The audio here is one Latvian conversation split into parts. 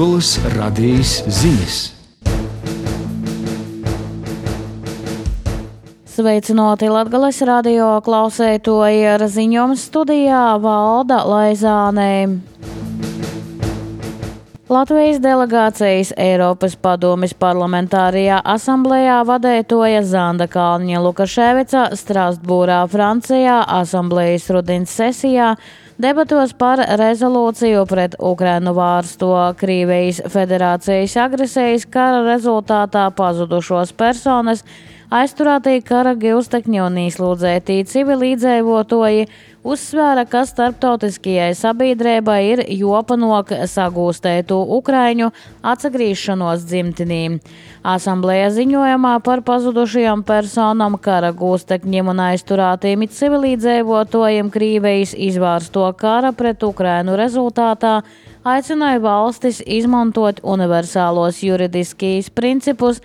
Latgolas radījis ziņas. Sveicināti Latgolas radio klausētoji, ar ziņojumu studijā Valda Laizāne. Latvijas delegācijas Eiropas padomes parlamentārajā asamblējā vadētoja Zanda Kalniņa Lukaševica Strasbūrā, Francijā, asamblējas rudens sesijā debatos par rezolūciju pret Ukrainu vērsto Krievijas federācijas agresijas kara rezultātā pazudušos personas, aizturētī kara gūstekņi un izslūdzētī civilīdzīvotoji, uzsvēra, ka starptautiskajai sabiedrībai ir jopanok sagūstētu Ukraiņu atsagrīšanos dzimtenī. Asamblēja ziņojumā par pazudušajām personām, kara gūstekņiem un aizturētiem civilīdzīvotājiem Krievijas izvērsto kara pret Ukrainu rezultātā aicināja valstis izmantot universālos juridiskīs principus,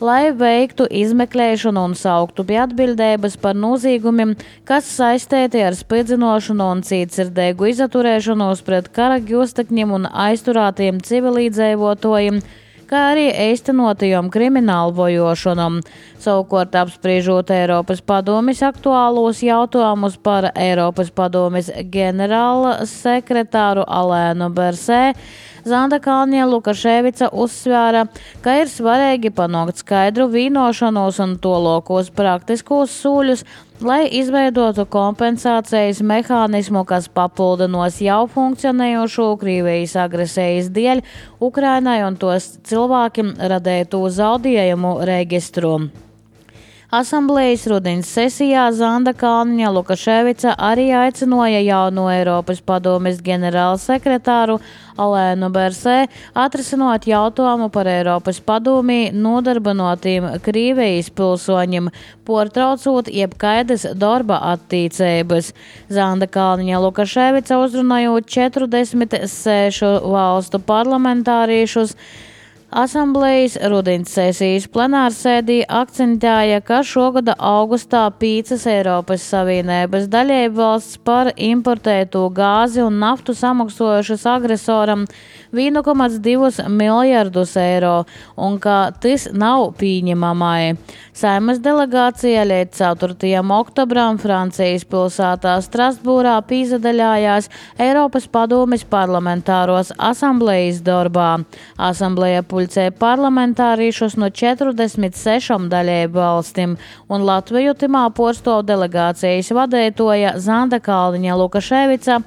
lai veiktu izmeklēšanu un sauktu pie atbildības par noziegumiem, kas saistīti ar spridzinošanu un cītsirdīgu izturēšanos pret kara gūstekņiem un aizturētiem civilīdzīvotājiem, kā arī īstenotajām kriminālu vojošanām. Savukārt apspriežot Eiropas padomes aktuālos jautājumus par Eiropas padomes ģenerāla sekretāru Alēnu Bersē, Zanda Kalniņa Lukaševica uzsvēra, ka ir svarīgi panākt skaidru vienošanos un tolokos praktiskos soļus, lai izveidotu kompensācijas mehānismu, kas papildinos jau funkcionējošo Krievijas agresijas dēļ Ukrainai un tos cilvēkiem radētu zaudējumu registru. Asamblējas rudens sesijā Zanda Kalniņa Lukaševica arī aicināja jauno Eiropas padomes ģenerāla sekretāru Alēnu Bersē atrisināt jautājumu par Eiropas padomī nodarbinātiem Krievijas pilsoņiem, pārtraucot jebkaidas darba attīstības. Zanda Kalniņa Lukaševica uzrunājot 46 valstu parlamentāriešus, Asamblējas rudens sesijas plenārsēdī akcentēja, ka šogada augustā 5 Eiropas Savienības dalībvalsts par importēto gāzi un naftu samaksojušas agresoram 1,2 miljardus eiro un ka tas nav pieņemamai. Saimas delegācija līdz 4. oktobram Francijas pilsētā Strasbūrā pīzadaļājās Eiropas padomes parlamentāros asamblējas darbā. Asamblēja pulcē parlamentāriešus no 46 dalību valstīm, un Latviju timā porstov delegācijas vadētoja Zanda Kalniņa Lukaševica,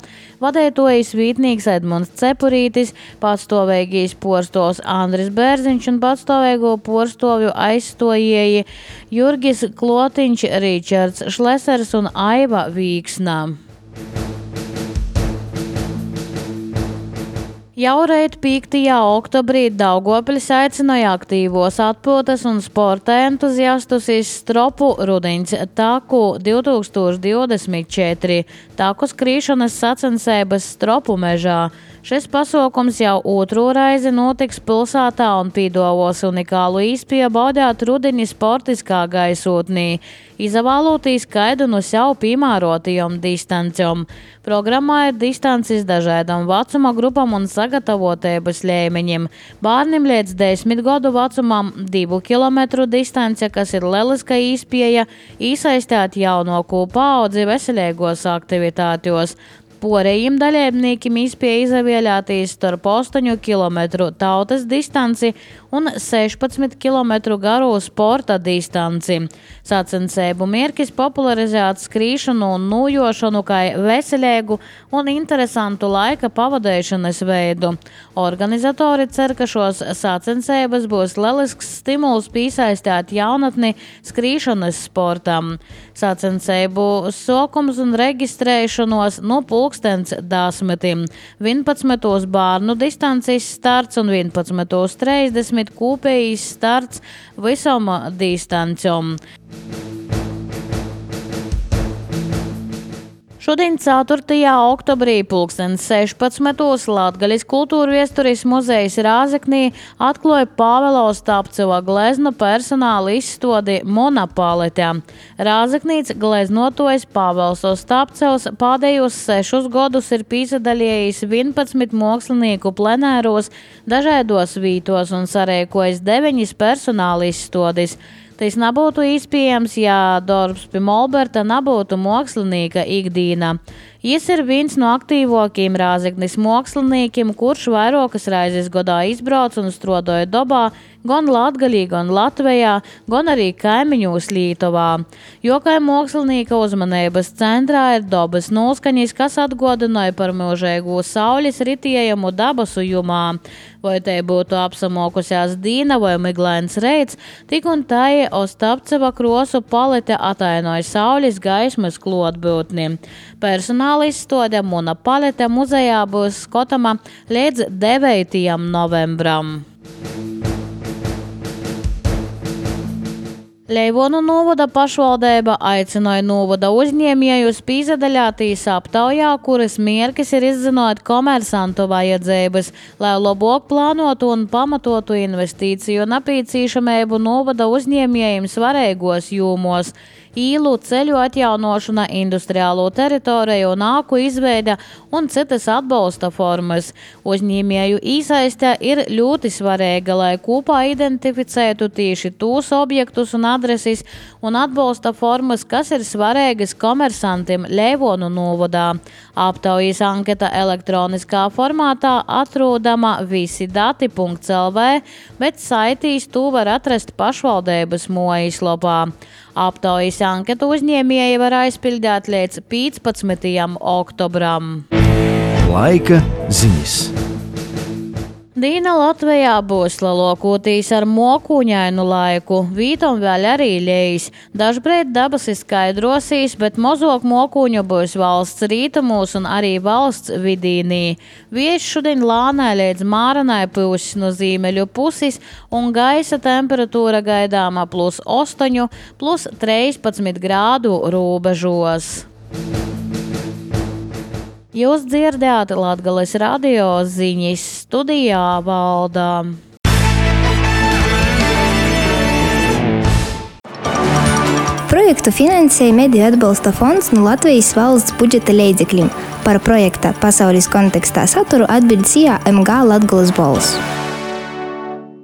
vadētojas vītnīgs Edmunds Cepurītis, patstāvīgais porstovs Andris Bērziņš un patstāvīgo porstovju aizstojēji Jurgis Klotiņš, Ričards Šlesers un Aiva Vīksnā. Jau reit 5. oktobrī Daugavpils aicināja aktīvos atpūtas un sporta entuziastus iz Stropu rudens taku 2024 taku skrīšanas sacensības Stropu mežā. Šis pasākums jau otro reizi notiks pilsētā un piedāvās unikālu iespēju baudīt rudeni sportiskā gaisotnī, izvēloties kādu no sev piemērotajām distancēm. Programmā ir distances dažādām vecuma grupām un sagatavotības līmeņiem. Bērniem līdz 10 gadu vecumam 2 km distance, kas ir lieliska iespēja iesaistīt jaunāko paudzi veselīgos aktivitātos. Porējiem dalībniekiem iespēja izvēlēties starp 8 km tautas distanci un 16 km garu sporta distanci. Sacensību mērķis popularizēt skrīšanu un nojošanu kā veselīgu un interesantu laika pavadīšanas veidu. Organizatori cer, ka šos sacensības būs lielisks stimuls piesaistīt jaunatni skrīšanas sportam. Sacensību sākums un reģistrēšanos no 10:10, 11. bērnu distances starts un 11:30 kopējs starts visam distancēm. Šodien 4. oktobrī 16. Latgaļas kultūra viesturis muzejs Rāzeknī atklāja Pāvela Ostapceva gleznu personāla izstādi Monopolite. Rāzeknīts gleznotojs Pāvels Ostapcevs pēdējos 6 gadus ir pīsadalījis 11 mākslinieku plenēros dažādos vītos un sarēkojis 9 personāla izstādes. Tas nebūtu iespējams, ja darbs pie Molberta nebūtu mākslinieka ikdīna. Jis ir viens no aktīvākajiem Rāzeknis māksliniekiem, kurš vairākas reizes gadā izbrauc un strādāja dabā, gan Latgalī, gan Latvijā, gan arī kaimiņos Lietuvā. Jo kā mākslinieka uzmanības centrā ir dabas noskaņas, kas atgādināja par mūžīgu saules ritējumu dabas ujumā. Vai te būtu apsamokusies dīna vai miglains reits, tik un tai Ostapceva krosu palete atainoja saules gaismas klātbūtni. Personāla izstāde Monopolite muzejā būs skatama līdz 9. novembram. Leivonu novada pašvaldība aicināja novada uzņēmējus pīsadaļāties aptaujā, kuras mērķis ir izzināt komersantu vajadzības, lai labāk plānotu un pamatotu investīciju nepieciešamību novada uzņēmējiem svarīgos jomos. Īlu, ceļu atjaunošana, industriālo teritoriju un āku izveide un citas atbalsta formas. Uzņēmēju iesaiste ir ļoti svarīga, lai kopā identificētu tieši tos objektus un adreses un atbalsta formas, kas ir svarīgas komersantiem Leivonu novadā. Aptaujas anketa elektroniskā formātā atrodama visidati.lv, bet saitīs to var atrast pašvaldības mājaslapā. Aptaujas anketu uzņēmēji var aizpildīt līdz 15. oktobram. Laika ziņas. Dīna Latvijā būs lielākoties ar mokuņainu laiku, vītom vēl arī lejs. Dažbrīd debesis skaidrosīs, bet mazāk mokuņu būs valsts rītumos un arī valsts vidīnī. Vējš šodien lānai līdz māranai puses no ziemeļu puses un gaisa temperatūra gaidāma +8, +13 grādu robežos. Jūs dzirdējāt Latgales radio ziņas, studijā Valda. Projektu finansēja Mediju atbalsta fonds no Latvijas valsts budžeta līdzekļiem. Par projekta pasaules kontekstā saturu atbild SIA MG Latgales balss.